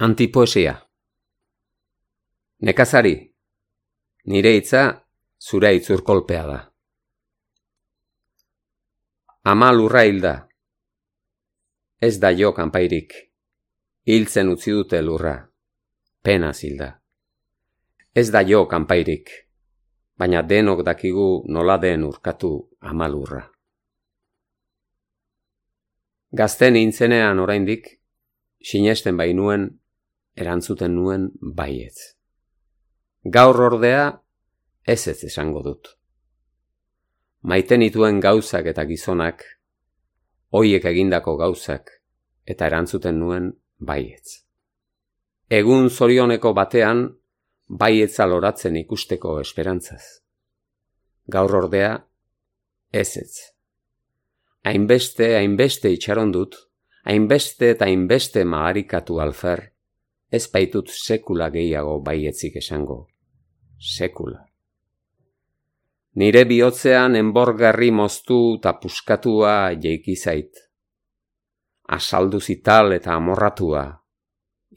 Antipoesia. Nekazari, nire hitza zure itzurkolpea da. Ama lurra hilda. Ez da jo kanpairik. Hiltzen utzi dute lurra. Penaz hilda. Ez da jo kanpairik. Baina denok dakigu nola den urkatu ama lurra. Gazte nintzenean oraindik, sinesten bainuen, erantzuten nuen baietz. Gaur ordea, ez esango dut. Maite nituen gauzak eta gizonak, hoiek egindako gauzak, eta erantzuten nuen baietz. Egun zorioneko batean, baietza loratzen ikusteko esperantzaz. Gaur ordea, ez. Hainbeste itxaron dut, hainbeste eta hainbeste maharikatu alfer, ez baitut sekula gehiago baietzik esango. Sekula. Nire bihotzean enborgarri moztu eta puskatua jeiki zait. Asaldu zital eta amorratua,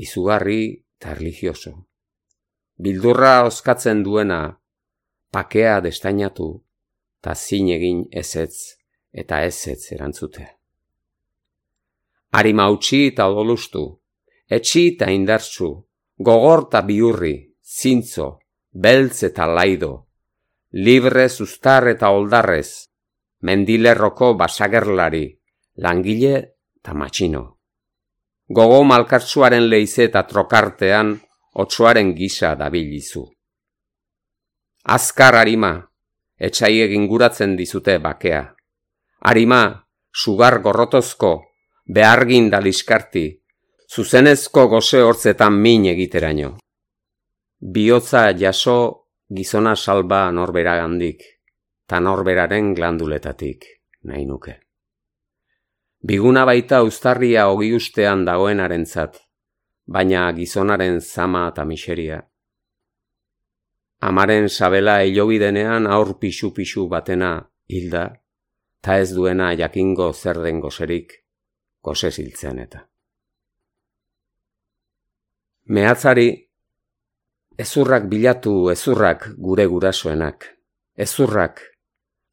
izugarri eta erlijioso. Bildurra oskatzen duena, pakea destainatu, eta zin egin ezetz eta ezetz erantzutea. Arima utzi eta odolustu, etxi eta indartsu, gogor eta biurri, zintzo, beltz eta laido, libre zuztar eta oldarrez, mendilerroko basagerlari, langile eta matxino. Gogo malkartsuaren leize eta trokartean, otsoaren gisa dabilizu. Azkar arima, etxaiek inguratzen dizute bakea. Arima, sugar gorrotozko, behargin da liskarti, zuzenezko goze hortzetan min egiteraino. Bihotza jaso gizona salba norberagandik, ta norberaren glanduletatik, nahi nuke. Biguna baita uztarria ogi ustean dagoenarentzat, baina gizonaren zama eta miseria. Amaren sabela hilobidenean aur pixu batena hilda, ta ez duena jakingo zer den gozerik, goze ziltzean eta. Mehatzari, ezurrak bilatu ezurrak gure gurasoenak. Ezurrak,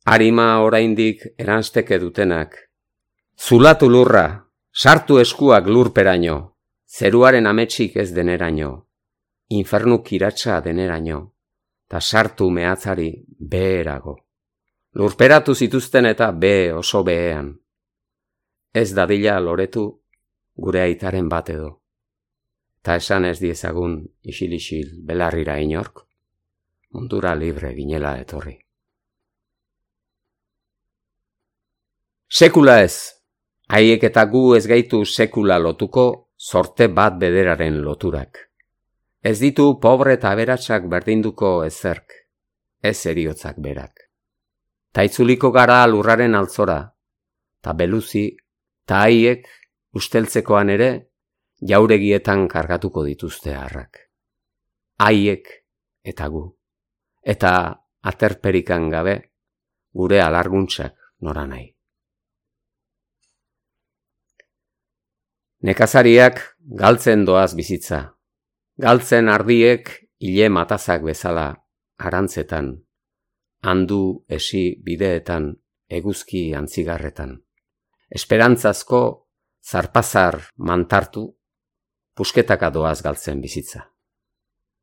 arima oraindik eransteke dutenak. Zulatu lurra, sartu eskuak lurperaino, zeruaren ametsik ez deneraino, infernu kiratsa deneraino, ta sartu mehatzari beherago. Lurperatu zituzten eta oso behean. Ez dadila loretu gure aitaren bat edo. Ta esan ez diezagun isil belarrira inork, mundura libre ginela etorri. Sekula ez, haiek eta gu ez gaitu sekula lotuko zorte bat bederaren loturak. Ez ditu pobre eta aberatsak berdinduko ezerk, ez eriotzak berak. Ta itzuliko gara lurraren altzora, ta beluzi, ta haiek usteltzekoan ere, jauregietan kargatuko dituzte harrak. Haiek eta gu, eta aterperikan gabe, gure alarguntzak nora nahi. Nekazariak galtzen doaz bizitza, galtzen ardiek hile matazak bezala arantzetan, handu esi bideetan, eguzki antzigarretan. Esperantzazko zarpazar mantartu, pusketaka doaz galtzen bizitza.